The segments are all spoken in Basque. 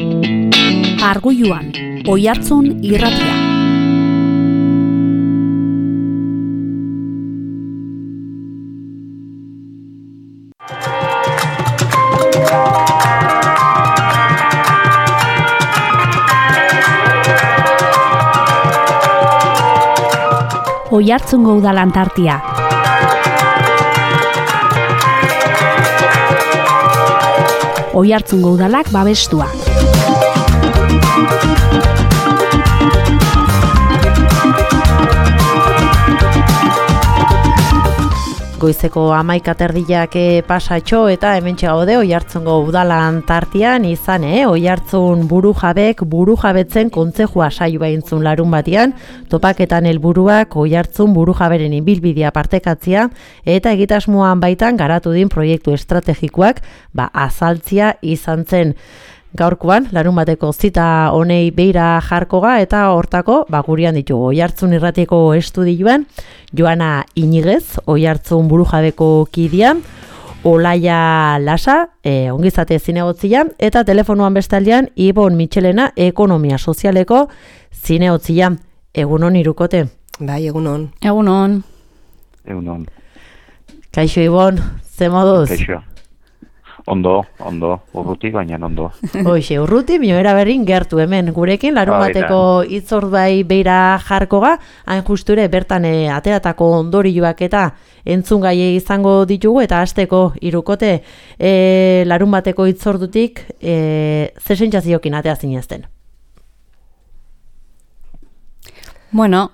Argoiluan, Oihartzun irratia. Oihartzungo udalan tartia. Oihartzungo udalak babestua. Goizeko 11:00 pasatxo eta hementxe gaude Oihartzungo udalan tartean izan, Oihartzun burujabetzen kontzejua saioa entzun larun batean, topaketan helburuak Oihartzun burujaberen ibilbidea partekatzea eta egitasmoan baitan garatu din proiektu estrategikoak azaltzia izan zen. Gaurkoan, larun bateko zita honei beira jarkoga eta hortako gurean ditugu Oihartzun irratiko estudioan Joana Iñiguez, Oihartzun burujabeko kidea, Olaia Lasa, ongizate zinegotzia, eta telefonoan bestaldean Ibon Mitxelena, ekonomia sozialeko zinegotzia. Egunon irukote? Bai, egunon. Egunon. Egunon. Kaixo Ibon, ze moduz? Kaixo. Ondo, urruti, baina ondo. Hoxe, urruti, mioera berrin gertu hemen gurekin, larun bateko itzordai beira jarkoga, hain justure bertan ateratako ondorioak eta entzungai izango ditugu, eta hasteko irukote larun bateko itzordutik ze sentsazioekin atea zinezten? Bueno,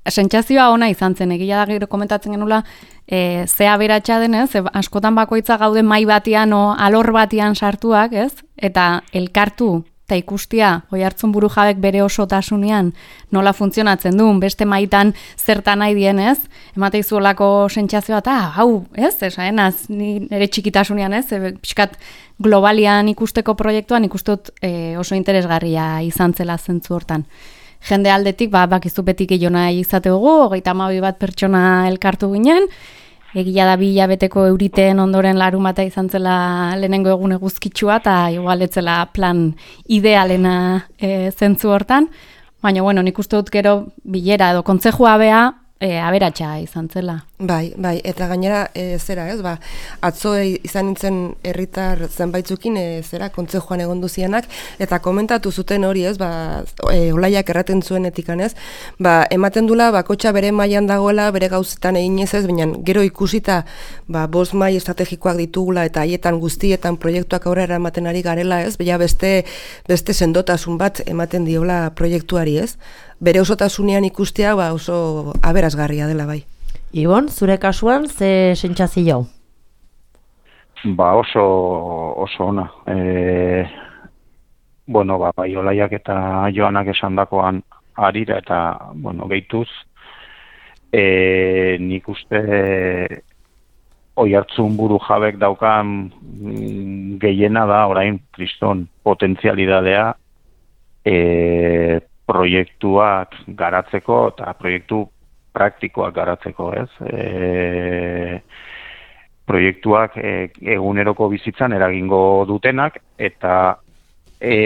sentsazioa ona izan zen, egia da gero komentatzen genula, ze aberatsa denez, askotan bakoitza gaude mai batean o alor batean sartuak, ez? Eta elkartu eta ikustia Oihartzun burujabek bere osotasunean nola funtzionatzen duen, beste maitan zertan nahi dien, ez? Emate izuolako sentsazioa eta hau, ez? Esaenaz, ni nire txikitasunean, ez? Pixkat globalian ikusteko proiektuan ikustut oso interesgarria izan zela zentzu hortan. Jende aldetik, bakizu beti gehiona izate dugu, 32 bat pertsona elkartu ginen, egia da 2 hilabeteko euriteen ondoren larun bata izan zela lehenengo egun eguzkitsua, eta igualetzela plan idealena zentzu hortan, baina nik uste dut gero bilera edo kontzejua bea, aberatsa izan zela. Bai, eta gainera zera, ez, atzo izan nintzen herritar zenbaitzukin kontzejuan egon duzianak, eta komentatu zuten hori, ez, Olaiak erraten zuen etikan, ez, ematen dula bakotxa bere mailan dagoela, bere gauzetan eginez ez, baina gero ikusita 5 mai estrategikoak ditugula eta haietan guztietan proiektuak aurrera ematen ari garela, ez, beste sendotasun bat ematen diola proiektuari, ez, bere osotasunean ikustea oso aberasgarria dela bai. Ibon, zure kasuan, ze sentsazio? Oso ona. Bai Olaiak eta Joanak esandakoan harira eta, gehituz, nik uste Oihartzun burujabek daukan gehiena da, orain, kriston potentzialidadea, proiektuak garatzeko eta proiektu praktikoak garatzeko, ez? Proiektuak eguneroko bizitzan eragingo dutenak eta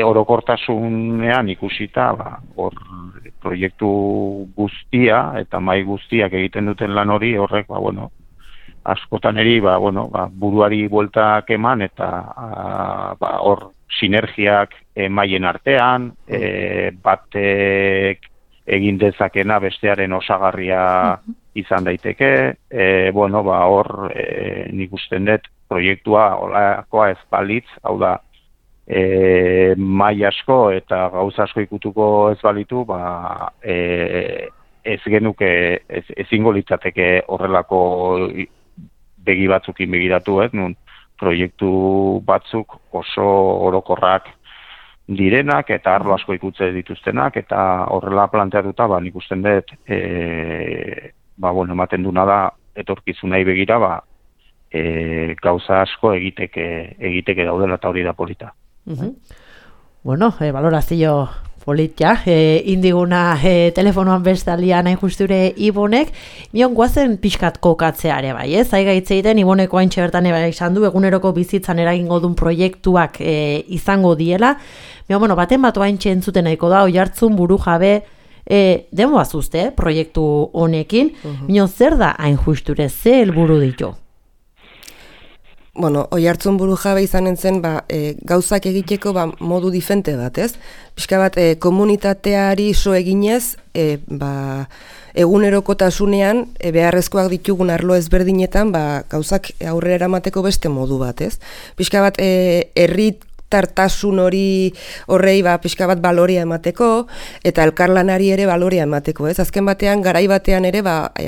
orokortasunean ikusita, hor proiektu guztia eta mai guztiak egiten duten lan hori horrek, askotan eri, buruari bueltak eman eta hor sinergiak maien artean, batek egin dezakena bestearen osagarria izan daiteke, hor nik usten dut proiektua olakoa ez balitz, hau da, mai asko eta gauza asko ikutuko ez balitu, ez genuke, ezingo litzateke horrelako begi batzukin begiratu, nun proiektu batzuk oso orokorrak direnak eta arlo asko ikutze dituztenak eta horrela planteatuta nik usten dut ematen duna da etorkizunei begira gauza asko egiteke daudela eta hori da polita. Valorazio politia, indiguna telefonoan bestaldian hain justure Ibonek, mion guazen pixkat kokatzeare bai, ez? Zaigaitze egiten Iboneko haintxe bertan izan du, eguneroko bizitzan eragingo duen proiektuak izango diela, bueno, baten batu haintxe entzuten nahiko da, Oiartzun burujabe, demo azuzte, proiektu honekin, mion zer da hain justure, ze helburu ditu? Bueno, Oiartzun burujabe izanen zen, gauzak egiteko modu diferente bat, ez? Pixka bat, komunitateari so eginez, egunerokotasunean beharrezkoak ditugun arlo ezberdinetan, gauzak aurrera eramateko beste modu bat, ez? Pixka bat, herritartasun horrei pixka bat balorea emateko, eta elkarlanari ere balorea emateko, ez? Azken batean, garai batean ere,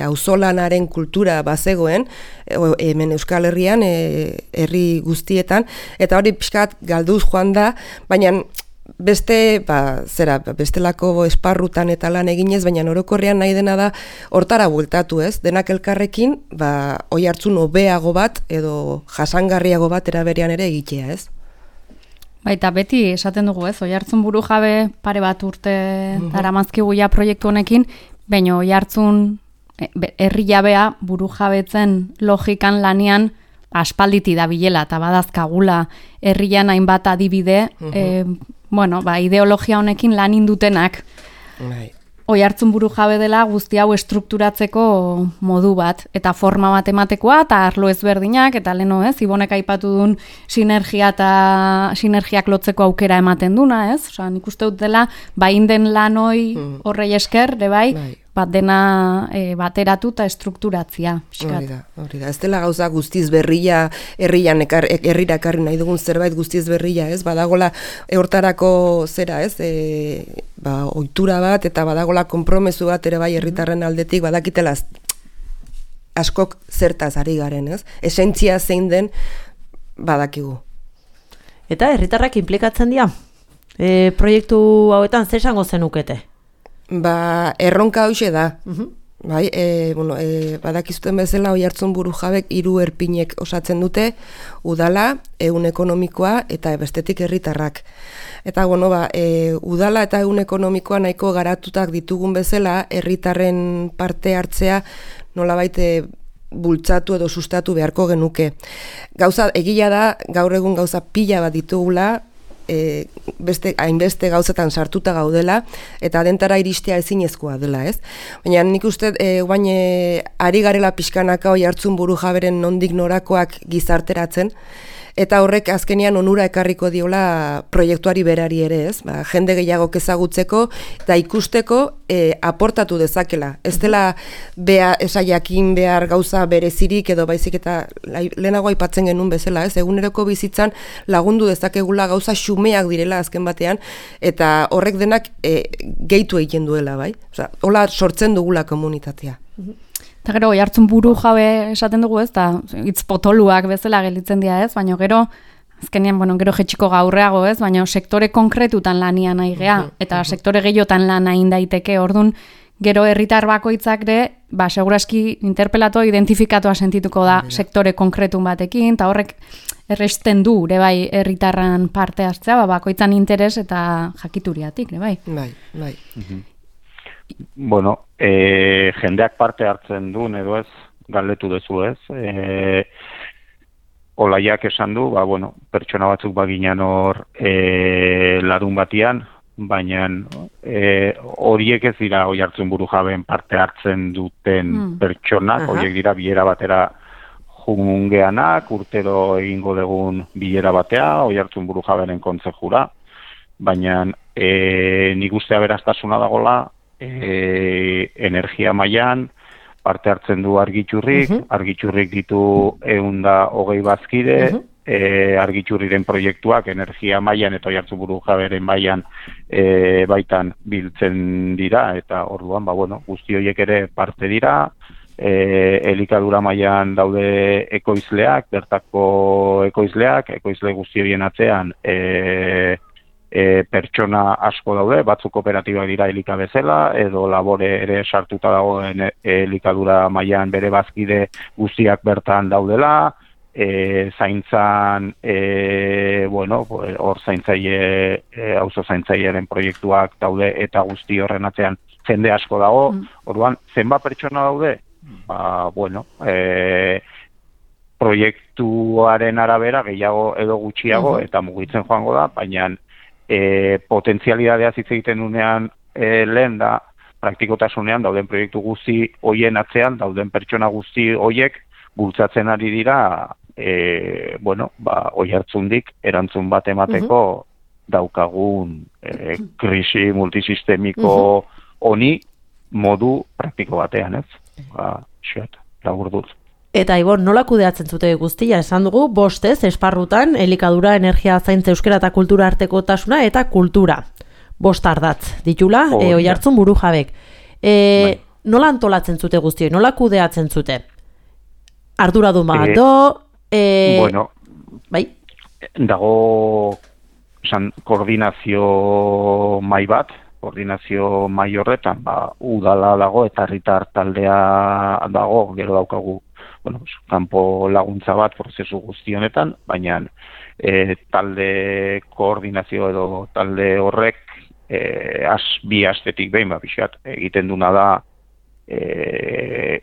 auzolanaren kultura bazegoen, hemen Euskal Herrian, herri guztietan, eta hori pixka bat galduz joan da, baina bestelako esparrutan eta lan eginez, baina orokorrean nahi dena da hortara bueltatu, ez? Denak elkarrekin, Oiartzun hobeago bat, edo jasangarriago bat eraberean ere egitea, ez? Baita beti esaten dugu, ez? Oiartzun burujabe pare bat urte daramazkigu ja proiektu honekin, baina Oiartzun herri jabea burujabetzen logikan lanian aspalditi dabilela eta badazkagula herrian hainbat adibide, ideologia honekin lan indutenak. Oiartzun burujabe dela guzti hau estrukturatzeko modu bat, eta forma bat ematekoa, eta arlo ezberdinak, eta leno ez, Ibonek aipatu duen sinergiak lotzeko aukera ematen duna, ez? Osa, nik uste dut dela, inden lanoi horrei esker, dena bateratu eta estrukturatzia. Hori da. Ez dela gauza guztiz berria, herrira ekarri nahi dugun zerbait guztiz berria, ez? Badagola hortarako zera, ez? Ohitura bat, eta badagola konpromezu bat ere bai herritarren aldetik, badakitela askok zertaz ari garen, ez? Esentzia zein den badakigu. Eta herritarrak inplikatzen dira? Proiektu hauetan zer esango zenukete? Erronka hoxe da. Badakizuten bezala Oiartzun burujabek 3 erpinek osatzen dute, udala, ehun ekonomikoa eta bestetik herritarrak. Eta udala eta ehun ekonomikoa nahiko garatutak ditugun bezala, herritarren parte hartzea nolabait bultzatu edo sustatu beharko genuke. Gauza egia da, gaur egun gauza pila bat ditugula, hainbeste gauzetan sartuta gaudela, eta dentara iristea ezinezkoa dela, ez? Baina nik uste, ari garela pixkanaka Oiartzun burujaberen nondik norakoak gizarteratzen, eta horrek azkenean onura ekarriko diola proiektuari berari ere, ez? Jende gehiago ezagutzeko eta ikusteko aportatu dezakela. Ez dela esaiakin behar gauza berezirik edo baizik eta lehenago aipatzen genuen bezala, ez? Eguneroko bizitzan lagundu dezakegula gauza xumeak direla azken batean, eta horrek denak gehitu egiten duela, bai? Hola sortzen dugula komunitatea. Eta gero, Oiartzun burujabe esaten dugu, ez, eta hitz potoluak bezala gelditzen dira, ez, baina gero, azkenean, gero jetxiko gaurreago, ez, baina sektore konkretutan lania nahi gea, eta sektore gehiotan lan nahi daiteke, orduan, gero herritar bakoitzak ere, seguraski interpelato identifikatoa sentituko da sektore konkretun batekin, eta horrek erresten du, bai, herritarran parte hartzea, bakoitzan interes eta jakituriatik, bai. Bai. Bueno, jendeak parte hartzen duen edo ez, galdetu duzu ez. Olaiak esan du, pertsona batzuk baginan hor larun batian, baina horiek ez dira Oiartzun burujabeen parte hartzen duten pertsonak, horiek dira bilera batera jungeanak, urtero egingo dugun bilera batea, Oiartzun burujaberen kontzejura, baina nik uste aberastasuna dagola, energia mailan parte hartzen du argitxurrik ditu 120 bazkide, argitxurriren proiektuak energia mailan eta Oiartzun burujaberen mailan baitan biltzen dira, eta orduan, guzti horiek ere parte dira, elikadura mailan daude ekoizleak, bertako ekoizle guzti horien atzean pertsona asko daude, batzuk kooperatibak dira elika bezala, edo labore ere sartuta dagoen elikadura mailan bere bazkide guztiak bertan daudela, zaintzan, bueno, hor zaintzaile, auzo zaintzailearen proiektuak daude eta guzti horren atzean jende asko dago, orduan, zenbat pertsona daude? Ba, bueno, proiektuaren arabera gehiago edo gutxiago eta mugitzen joango da, baina potentzialidadea hitz egiten unean lehen da, praktikotasunean dauden proiektu guzti hoien atzean, dauden pertsona guzti hoiek bultzatzen ari dira, bueno, ba, Oiartzundik erantzun bat emateko daukagun krisi multisistemiko honi modu praktiko batean, ez? Ba, laburduz. Eta Ibon, nola kudeatzen zute guztia? Esan dugu, bostez, esparrutan, elikadura, energia, zaintza, euskera eta kultura artekotasuna eta kultura. Bost ardatz, ditula, Oiartzun burujabek. Nola antolatzen zute guztioi? Nola kudeatzen zute? Arduradun bat bueno, bai? Dago koordinazio mai bat, koordinazio mai horretan, ba, udala dago eta herritar taldea dago, gero daukagu, bueno, kanpo laguntza bat prozesu guzti honetan, baina talde koordinazio edo talde horrek bi astetik behin, pixkat, egiten duna da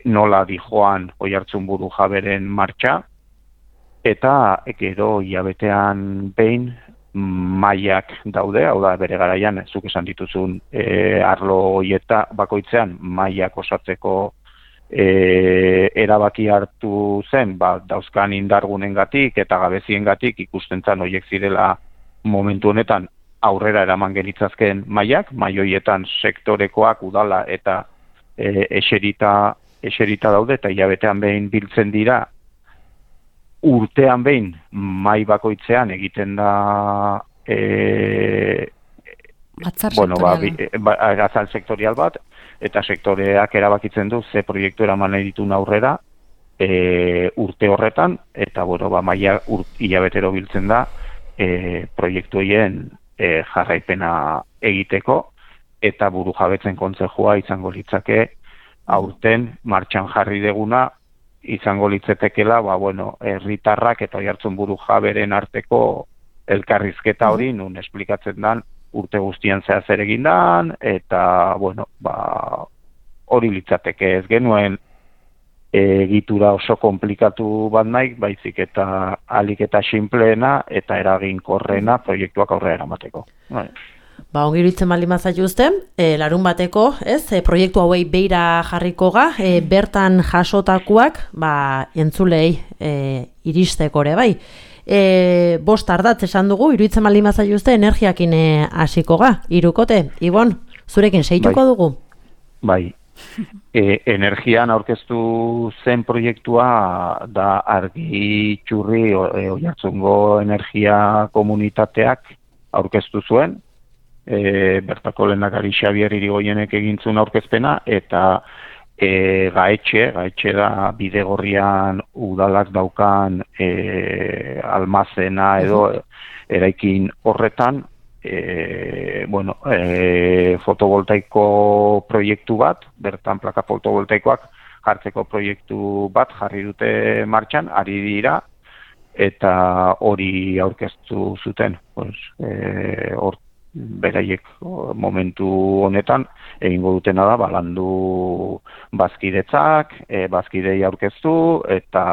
nola dijoan Oiartzun burujaberen martxa, eta gero hilabetean behin mailak daude, hau da bere garaian, zuk esan dituzun arlo hoieta bakoitzean mailak osatzeko erabaki hartu zen, ba, dauzkan indargunengatik eta gabeziengatik ikusten zan horiek zirela momentu honetan aurrera eraman genitzazken mailak, mai horietan sektorekoak udala eta eserita daude eta hilabetean behin biltzen dira, urtean behin mai bakoitzean egiten da azal sektorial bat, eta sektoreak erabakitzen du ze proiektu eraman nahi ditun aurrera urte horretan, eta bueno, maila hilabetero biltzen da proiektu horien jarraipena egiteko, eta burujabetzen kontsejua izango litzake aurten martxan jarri deguna izango litzetekela, ba, bueno, herritarrak eta Oiartzun burujaberen arteko elkarrizketa hori, nun esplikatzen dan urte guztian zehaz ere egin dan, eta, bueno, ba, hori litzateke ez genuen egitura oso komplikatu bat nahi, baizik eta alik eta sinpleena eta eraginkorrena proiektuak aurrera eramateko. Ba, ongi iruditzen baldin bazaiuzte, larun bateko, ez, proiektu hauei beira jarriko ga, bertan jasotakoak, ba, entzulei iristeko ere, bai. Bost ardatz esan dugu, iruditzen baldin bazaiuzte, energiakin hasiko ga, hirukote. Ibon, zurekin seituko dugu? Bai. Energian aurkeztu zen proiektua da Argi Txurri Oiartzungo energia komunitateak aurkeztu zuen, bertako lehendakari Xabier Irigoienek egintzun aurkezpena, eta gaetxe da Bidegorrian udalak daukan almazena edo eraikin horretan, fotovoltaiko proiektu bat, bertan plaka fotovoltaikoak jartzeko proiektu bat jarri dute martxan, ari dira, eta hori aurkeztu zuten. Beraiek momentu honetan egingo dutena da, landu bazkidetzak, bazkidei aurkeztu, eta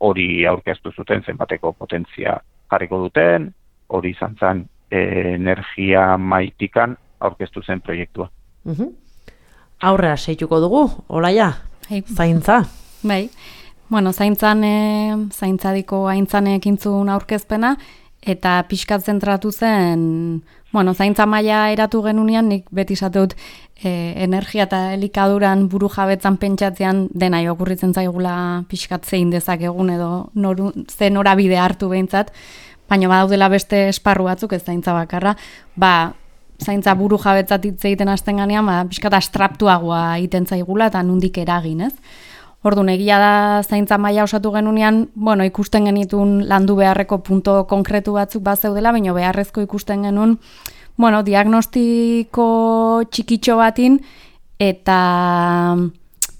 hori aurkeztu zuten zenbateko potentzia jarriko duten, hori izan zen energia maitikan aurkeztu zen proiektua. Aurrera seituko dugu, Olaia, zaintza. Bai, bueno, zaintzadiko aintzanek intzun aurkezpena, eta pixkat zentratu zen, bueno, zaintza maila eratu genunean, nik beti esateut energia eta elikaduran burujabetzan pentsatzean dena okurritzen zaigula pixkat zein dezakegun edo ze norabide hartu behintzat, baina badaudela beste esparru batzuk ez zaintza bakarra, zaintza burujabetzat hitz egiten hasten ganean, pixkat astraptuagoa egiten zaigula eta nondik eragin, ez? Orduan, egia da zaintza maila osatu genunean, bueno, ikusten genitun landu beharreko punto konkretu batzuk bazeudela, baina beharrezko ikusten genuen, bueno, diagnostiko txikitxo batin, eta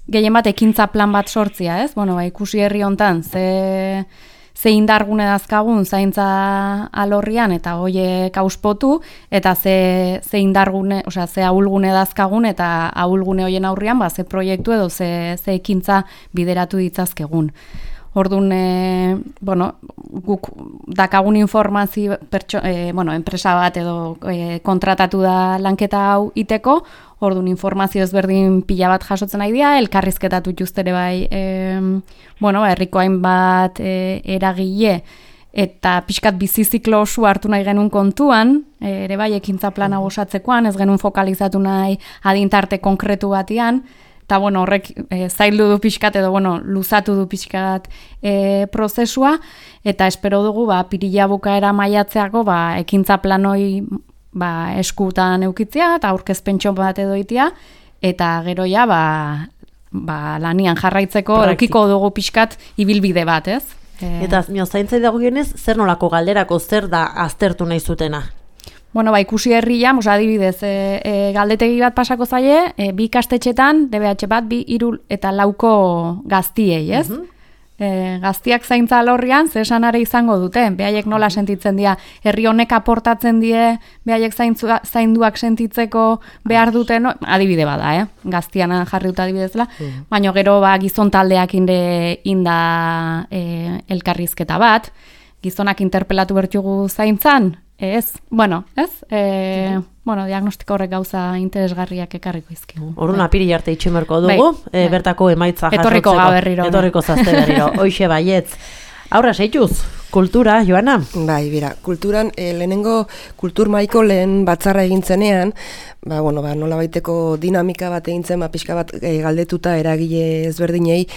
gehien bat ekintza plan bat sortzia, ez? Bueno, ikusi herri hontan, ze indargune dazkagun zaintza alorrian eta hoiek auspotu, eta ze indargune, osea, ze ahulgune dazkagun eta ahulgune hoien aurrian, ze proiektu edo ze ekintza bideratu ditzazkegun. Orduan, guk dakagun informazio, enpresa bat edo kontratatu da lanketa hau iteko, orduan informazio ezberdin pila bat jasotzen nahi dira, elkarrizketatu ere bai, herriko hainbat eragile, eta pixkat biziziklo oso hartu nahi genuen kontuan, ere bai ekintza plana osatzekoan, ez genuen fokalizatu nahi adintarte konkretu batian, eta horrek zaildu du pixkat edo luzatu du pixkat prozesua, eta espero dugu pirila bukaera maiatzeako ekintza planoi eskutan eukitzea eta aurkezpentxo bat edo itia, eta gero lanian jarraitzeko eukiko dugu pixkat ibilbide bat, ez? Eta zaintzai dagoenez, zer nolako galderako, zer da aztertu nahi zutena? Ikusi herrian, adibidez, galdetegi bat pasako zaie, 2 ikastetxetan, DBH bat, 2, 3 eta 4 gaztiei, ez? Gaztiak zaintza alorrian, ze esanare izango dute, behaiek nola sentitzen dira, herri honek aportatzen die, behaiek zainduak sentitzeko behar duten, adibide bada, gaztian jarri dut adibidezela, baina gero gizon taldeak inda elkarrizketa bat, gizonak interpelatu bertugu zaintzan, diagnostiko horrek gauza interesgarriak ekarriko izkigu. Orduan apiri arte itximerko dugu, bertako emaitza jasotzeko. Etorriko ga berriro. Etorriko zazte berriro, hoixe baietz. Aurra seituz, kultura, Joana? Bai, bera, kulturan, lehenengo kultur maiko lehen batzarra egintzenean, nola baiteko dinamika bat egintzen, pixka bat galdetuta eragile ezberdinei,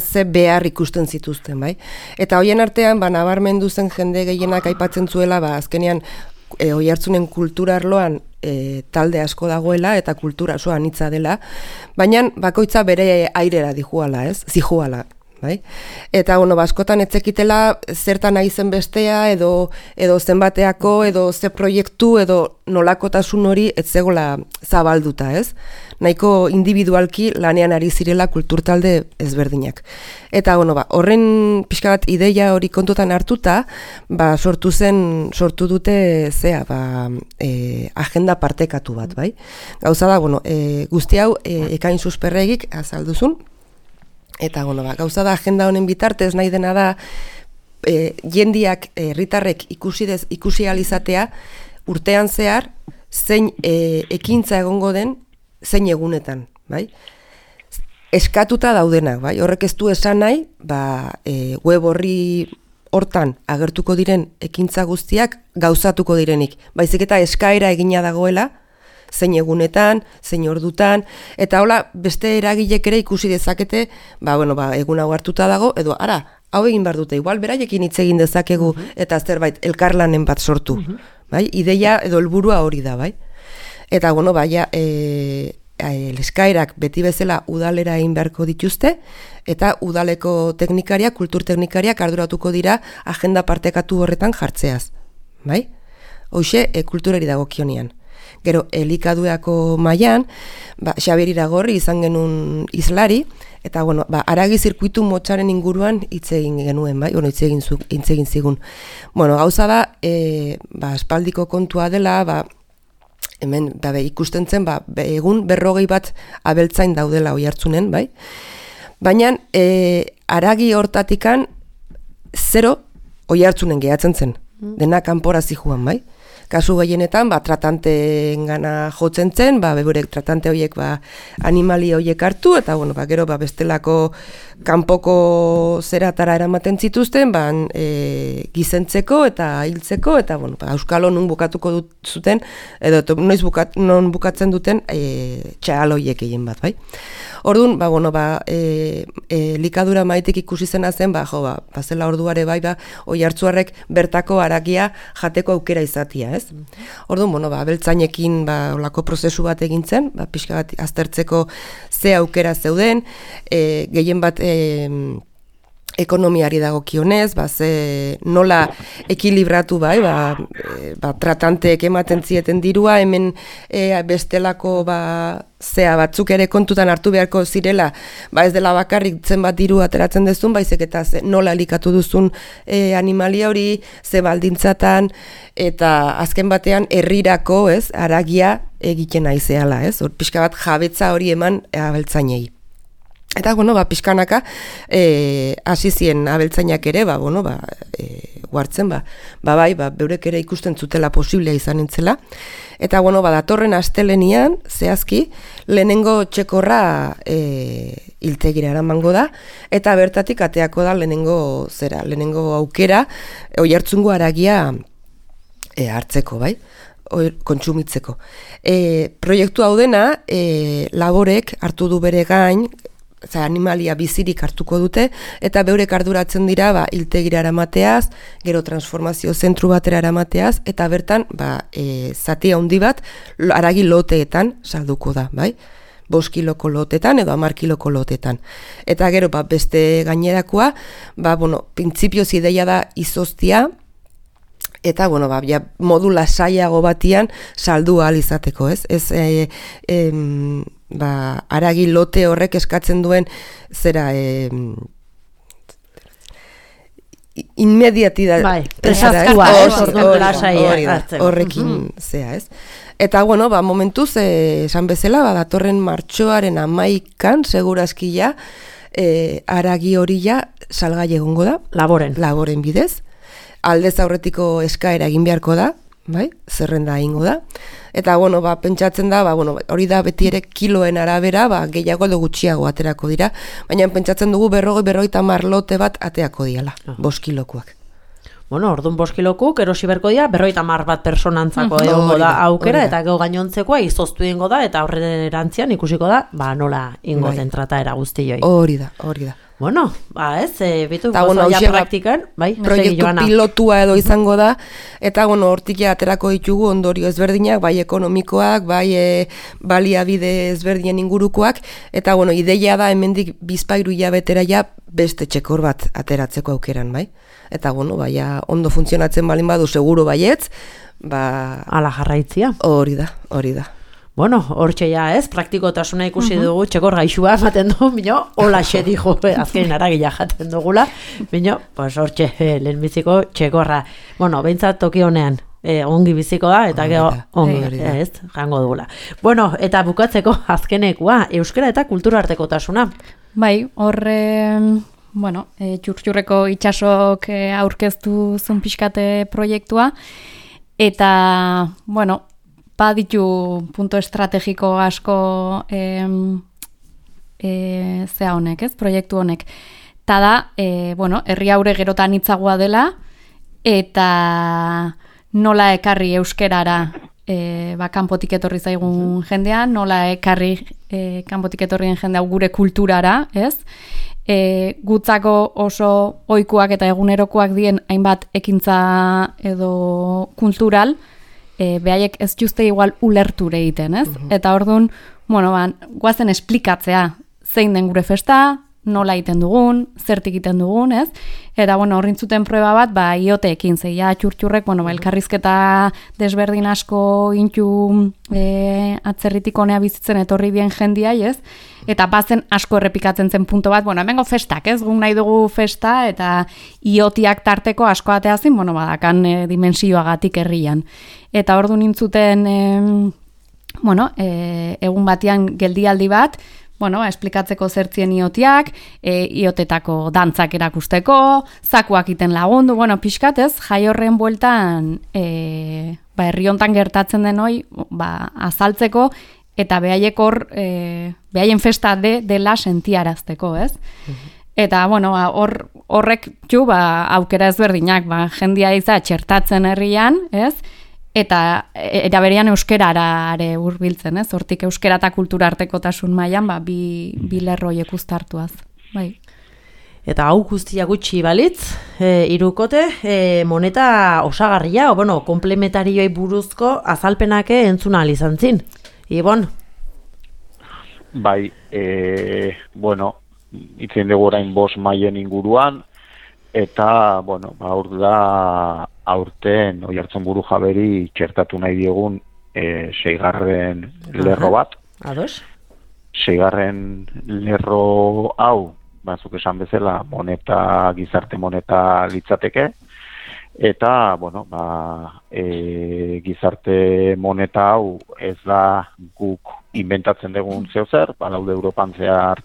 ze behar ikusten zituzten, bai? Eta hoien artean, nabarmendu zen jende gehienak aipatzen zuela, azkenean, Oiartzunen kultura arloan talde asko dagoela eta kultura oso anitza dela, baina bakoitza bere airera zijoala. Bai? Eta askotan etzekitela zertan nahi zen bestea edo zenbateako edo ze proiektu edo nolakotasun hori etzegola zabalduta, ez? Nahiko individualki lanean ari zirela kulturtalde ezberdinak. Eta horren pixka bat ideia hori kontutan hartuta, sortu dute agenda partekatu bat, bai? Gauza da, guzti hau ekain susperregik azalduzun. Eta gauza da agenda honen bitartez nahi dena da jendiak herritarrek ikusi alizatea urtean zehar zein ekintza egongo den zein egunetan, bai? Eskatuta daudenak, bai? Horrek ez du esan nahi, web horri hortan agertuko diren ekintza guztiak gauzatuko direnik, baizik eta eskaera egina dagoela zein egunetan, zein ordutan, eta hola beste eragilek ere ikusi dezakete, egun hau hartuta dago, edo hau egin behar dute, igual beraiekin hitz egin dezakegu, eta zerbait elkarlanen bat sortu, bai? Ideia edo helburua hori da, bai? Eta eskaerak beti bezala udalera egin beharko dituzte, eta udaleko teknikariak, kultur teknikariak arduratuko dira agenda partekatu horretan jartzeaz, bai? Hoxe, kulturari dagokionean. Gero, elikaduako mailan, Xabier Iragorri izan genuen izlari, eta, aragi zirkuitu motxaren inguruan hitz egin genuen, bai? Hitz egin zigun. Gauza da, aspaldiko kontua dela, hemen, ikusten zen, egun 40 bat abeltzain daudela Oiartzunen, bai? Baina, aragi hortatikan 0 Oiartzunen gehatzen zen, dena kanpora zijoan, bai? Kasu gehienetan, tratanteen gana jotzen zen, beburek tratante horiek animali horiek hartu, eta gero bestelako kanpoko zeratara eramaten zituzten, gizentzeko eta hiltzeko, eta auskalo nun bukatuko zuten, edo non bukatzen duten txahal horiek egin bat, bai? Orduan, likadura maitik ikusi zena zen, zela orduare bai, Oiartzuarrek bertako haragia jateko aukera izatia, ez? Orduan, abeltzainekin olako prozesu bat egin zen, pixka bat aztertzeko ze aukera zeuden, gehien bat ekonomiari dagokionez, nola ekilibratu tratanteek ematen zieten dirua, hemen bestelako batzuk ere kontutan hartu beharko zirela, ez dela bakarrik zenbat diru ateratzen dezun, baizik eta nola elikatu duzun animalia hori, ze baldintzatan, eta azken batean herrirako, haragia egiten naizeala, hor pixka bat jabetza hori eman abeltzainei. Eta, pixkanaka, hasi zien abeltzainak ere, guartzen, beurek ere ikusten zutela posiblea izan nintzela. Eta, datorren astelenian, zehazki, lehenengo txekorra hiltegira eramango da, eta bertatik ateako da lehenengo aukera, Oiartzungo haragia hartzeko, kontsumitzeko. Proiektu hau dena, Laborek hartu du bere gain, animalia bizirik hartuko dute, eta beurek arduratzen dira hiltegira eramateaz, gero transformazio zentru batera eramateaz, eta bertan zati handi bat haragi loteetan salduko da, 5 kiloko lotetan edo 10 kiloko lotetan. Eta gero beste gainerakoa, printzipioz ideia da izoztia, eta modu lasaiago batian saldu ahal izateko, haragi lote horrek eskatzen duen inmediatidad horrekin zea, Eta, momentuz, esan bezala, datorren martxoaren 11an, segurazki haragi hori salgai egongo da. Laboren bidez. Aldez aurretiko eskaera egin beharko da, zerrenda egingo da. Eta, pentsatzen da, hori da beti ere kiloen arabera, gehiago edo gutxiago aterako dira, baina pentsatzen dugu 50 lote bat ateako diala, 5 kilokoak. Orduan 5 kilokuk, erosi berko dira, 50 bat personantzako egongo da aukera, eta gero gainontzekoa izoztu ingo da, eta horrerantzian ikusiko da, nola ingo den trataera guztioi. Hori da. Bitu gozoia praktikan, proiektu pilotua edo izango da, eta hortik aterako ditugu ondorio ezberdinak, ekonomikoak, baliabide ezberdinen ingurukoak, eta ideia da hemendik 2-3 hilabetera beste txekor bat ateratzeko aukeran, Eta ondo funtzionatzen balin badu seguru baietz, ala jarraitzia. Hori da. Hortxe praktikotasuna ikusi dugu, txekor gaixua ematen du, hola xe dijo, azkenin aragila jaten dugula, hortxe, lehenbiziko txekorra. Behintzat toki honean, ongi biziko da, eta gero ongi, jango dugula. Eta bukatzeko azkenekoa, euskara eta kultura artekotasuna. Horre, txurtxurreko itxasok aurkeztu zun pixkate proiektua, eta, baditu punto estrategiko asko zea honek, proiektu honek. Ta da, herri haure gerotan hitzagoa dela, eta nola ekarri euskerara kanpotik etorri zaigun jendea, nola ekarri kanpotik etorrien jendea gure kulturara, gutzako oso ohikoak eta egunerokoak dien hainbat ekintza edo kultural, behaiek ez juzte igual ulerture egiten, Eta orduan, guazen esplikatzea zein den gure festa, nola egiten dugun, zertik egiten dugun, Eta, horrintzuten prueba bat, ioteekin, zeia txurtxurrek, elkarrizketa desberdin asko intu atzerritik honea bizitzen etorri dien jendia, Eta bazen asko errepikatzen zen punto bat, hemengo festak, guk nahi dugu festa, eta iotiak tarteko asko ateazin, badakan dimensioagatik herrian. Eta ordu nintzuten, egun batean geldialdi bat, esplikatzeko zertzien iotiak, iotetako dantzak erakusteko, zakuak iten lagundu, pixkatez, jai horren bueltan, herri hontan gertatzen den hoi, azaltzeko, eta behaiek hor, behaien festa dela sentiarazteko, Eta, horrek aukera ezberdinak, jendia iza txertatzen herrian, eta eraberean euskerara ere hurbiltzen, hortik euskera eta kultura artekotasun mailan bi lerroiek uztartuaz. Eta hau guztia gutxi balitz, hirukote, moneta osagarria, komplementarioi buruzko azalpenak entzuna ahal izan zin. Ibon? itzen dugu orain 5 mailen inguruan, eta, bueno, hor da aurten Oiartzun Burujaberi txertatu nahi diogun 6. lerro bat. Ados? 6. lerro hau, bazuk esan bezala, gizarte moneta litzateke, eta, bueno, gizarte moneta hau ez da guk inventatzen dugun zeozer, badaude Europan zehar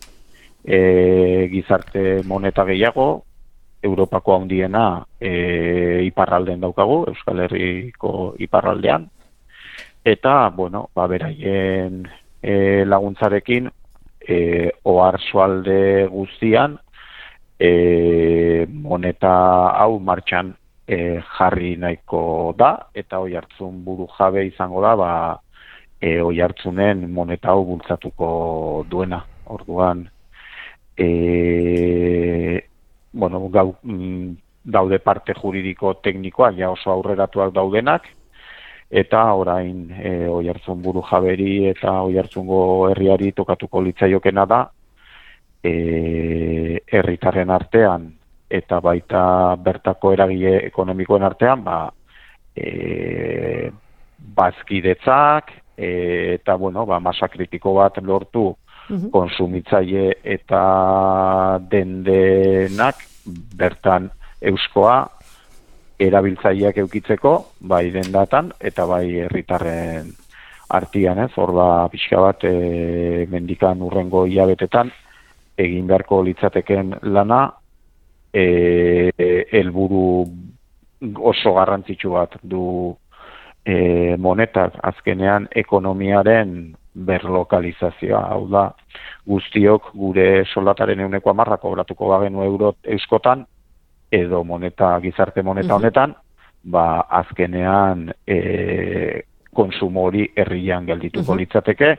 gizarte moneta gehiago, Europako handiena iparraldean daukagu, Euskal Herriko iparraldean, eta, bueno, beraien laguntzarekin oarsoalde guztian moneta hau martxan jarri nahiko da, eta Oiartzun Burujabe izango da Oiartzunen moneta hau bultzatuko duena. Orduan, bueno, daude parte juridiko teknikoak ja oso aurreratuak daudenak, eta orain Oiartzun Burujaberi eta Oiartzungo herriari tokatuko litzaiokena da herritarren artean eta baita bertako eragile ekonomikoen artean bazkidetzak eta bueno, masa kritiko bat lortu konsumitzaile eta dendenak bertan euskoa erabiltzaileak eukitzeko, bai dendatan eta bai herritarren artean, hor pixka bat mendikan urrengo hilabetetan egin beharko litzateken lana helburu oso garrantzitsu bat du monetak, azkenean ekonomiaren berlokalizazioa, hau da, guztiok gure soldataren 10% kobratuko bagenu euro euskotan, edo gizarte moneta honetan, azkenean konsumo hori herrian geldituko litzateke,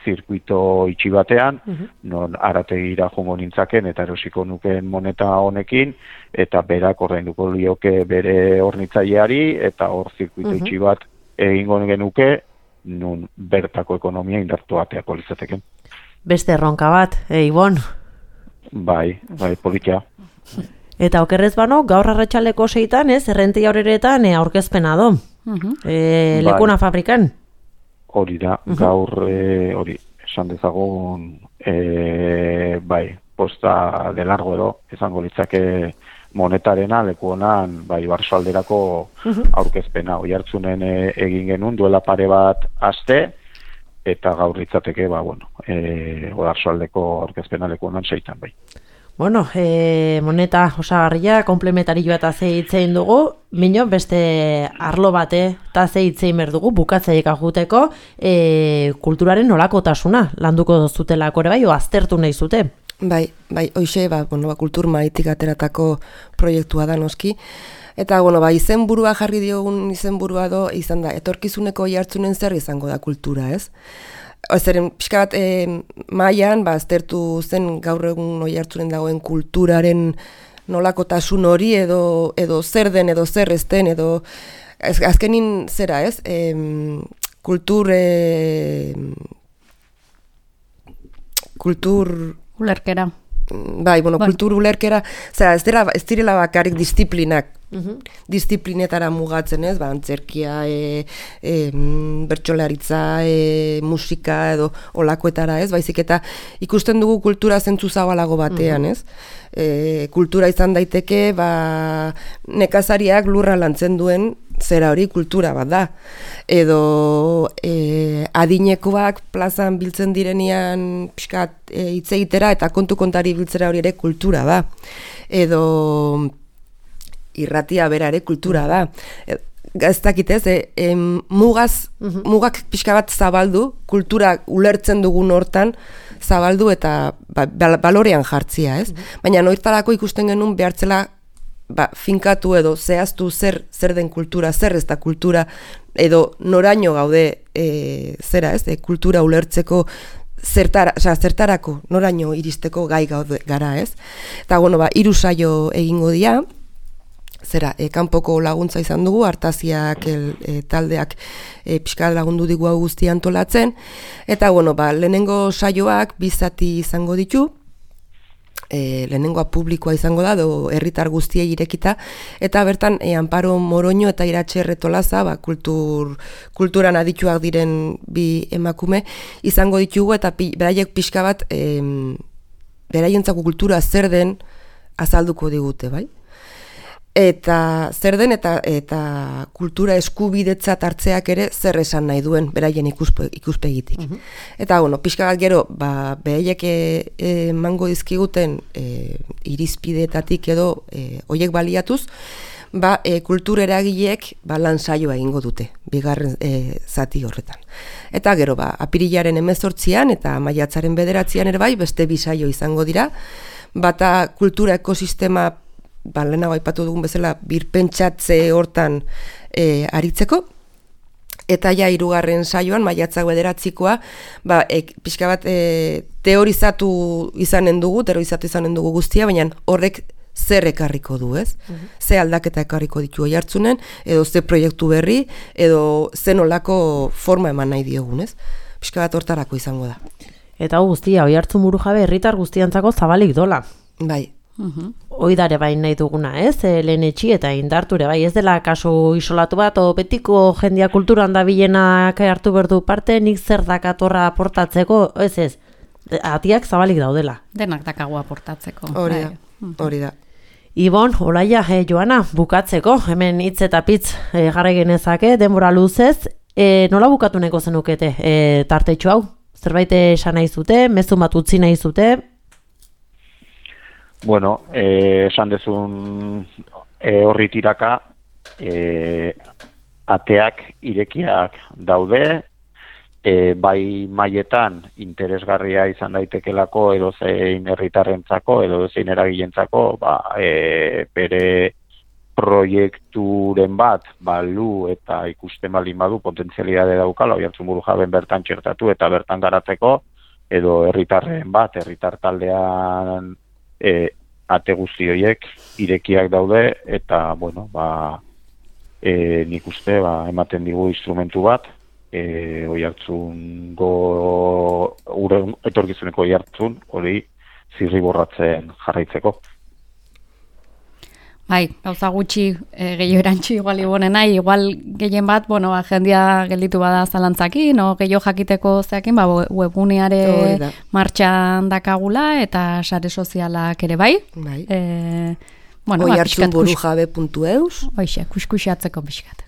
zirkuito itxi batean, non arategira jongo nintzaken eta erosiko nukeen moneta honekin, eta berak ordainduko lioke bere hornitzaileari, eta hor zirkuito itxi bat egingo genuke, nun bertako ekonomia indartu ateako litzateken. Beste erronka bat, Ibon? Bai, politia. Eta okerrez bano, gaur arratsaleko 6:00, Errenteria horretan aurkezpena do. Lekuna fabrikan. Hori da, gaur hori, esan dezagun, posta de largo edo, esango litzake monetarena, leku honan, Barsoalderako aurkezpena. Oiartzunen egin genuen, duela pare bat aste, eta gaur litzateke, Oarsoaldeko aurkezpena leku honan 6:00 bai. Bueno, moneta osagarria, komplementarioa eta zeitzein dugu, mino beste arlo bate eta zeitzein berdugu, bukatzaiek ajuteko, kulturaren nolakotasuna landuko zutelako ere bai, o aztertu nahi zute? Bai, hoxe, kultur maitik ateratako proiektua da noski, eta, izenburua jarri diogun izenburua do, izan da, etorkizuneko Oiartzunen zer izango da kultura, ez? Zeren, pixka bat, mailan, aztertu zen gaur egun Oiartzunen dagoen kulturaren nolakotasun hori, edo zer den, edo zer ez den, edo azkenin zera, ez? Kultur ulerkera. Bai, kultur ulerkera, ez direla bakarrik disiplinak, disiplinetara mugatzen, ez? Antzerkia, bertsolaritza, musika edo olakoetara, ez? Baizik eta ikusten dugu kultura zentzu zabalago batean, ez? Kultura izan daiteke, nekazariak lurra lantzen duen zera hori kultura bat da. Edo adinekoak plazan biltzen direnean pixkat hitz egitera eta kontu-kontari biltzera hori ere kultura da. Edo irratia bera ere kultura da. Ez dakit ez, mugak pixka bat zabaldu, kultura ulertzen dugun hortan zabaldu eta balorean jartzia, ez? Baina noiztarako ikusten genuen behartzela finkatu edo zehaztu zer den kultura, zer ez da kultura, edo noraino gaude zera, ez? Kultura ulertzeko zertarako noraino iristeko gai gaude gara, ez? Eta, 3 saio egingo dira, zera, kanpoko laguntza izan dugu, Artaziak taldeak pixka lagundu digu hau guztia antolatzen, eta, lehenengo saioak 2 zati izango ditu, lehenengoa publikoa izango da, herritar guztiei irekita, eta bertan Amparo Moroño eta Iratxe Retolaza, kulturan adituak diren bi emakume, izango ditugu, eta beraiek pixka bat, beraientzako kultura zer den azalduko digute, bai? Eta zer den eta kultura eskubidetzat hartzeak ere zer esan nahi duen beraien ikuspegitik. Eta pixka bat gero, beraiek emango dizkiguten irizpideetatik edo hoiek baliatuz, kultura eragileek lan saioa egingo dute, bigarren zati horretan. Eta gero, apirilaren 18an eta maiatzaren 9an ere bai, beste bi saio izango dira, bata kultura ekosistema lehenago aipatu dugun bezala birpentsatze hortan aritzeko, eta ja 3. saioan, maiatzak 9koa, pixka bat teorizatu izanen dugu guztia, baina horrek zer ekarriko du, ez? Ze aldaketa ekarriko ditu Oiartzunen, edo ze proiektu berri, edo ze nolako forma eman nahi diogun, ez? Pixka bat hortarako izango da. Eta guztia, Oiartzun burujabe herritar guztiantzako zabalik dola. Bai. Oidare bain nahi duguna, ez? Lehenetxi eta indarture, bai, ez dela kasu isolatu bat, o betiko jendia kulturan da bilenak hartu berdu parte, nik zer dakatorra aportatzeko, ez, atiak zabalik daudela. Denak dakagu aportatzeko. Hori da. Ibon, Olaia, Joana, bukatzeko, hemen hitz eta pitz jarri genezake, denbora luzez, nola bukatu neko zenukete tartetxo hau? Zerbait esan nahi zute, mezu bat utzi nahi zute? Bueno, esan dezun horri tiraka, ateak irekiak daude, bai mailetan interesgarria izan daitekelako edozein herritarrentzako, edozein eragilentzako, bere proiekturen bat balu eta ikusten baldin badu potentzialidade daukala, Oiartzun burujaben bertan txertatu eta bertan garatzeko, edo herritarren bat, herritar taldean ate guzti horiek irekiak daude, eta, nik uste, ematen digu instrumentu bat, Oiartzungo, etorkizuneko Oiartzun, hori zirriborratzen jarraitzeko. Bai, gauza gutxi gehiago erantxi igual ibonena, igual gehien bat, jendia gelditu bada zalantzakin, gehiago jakiteko zeakin, webguneare martxan dakagula, eta sare sozialak ere bai. Oiartzunburujabe.eus. Hoixe, kuskusiatzeko pixkat.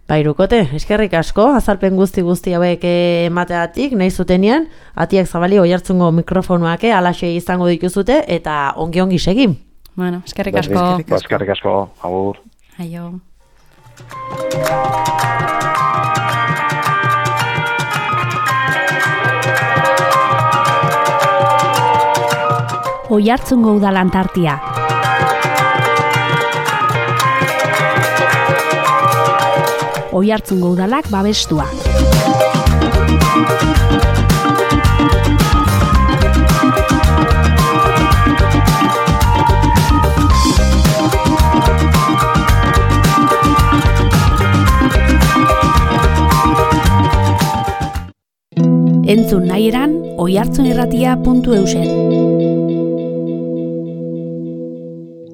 Irukote, eskerrik asko, azalpen guzti hauek emateatik, nahi zutenean, atiak zabali Oiartzungo mikrofonuak alaxe izango dituzute, eta ongi segin. Bueno, eskerrik asko. Eskerrik asko, agur. Aio. Oiartzungo udalan tartia. Oiartzungo udalak babestua. Entzun nahi eran, oiartzunirratia.eusen.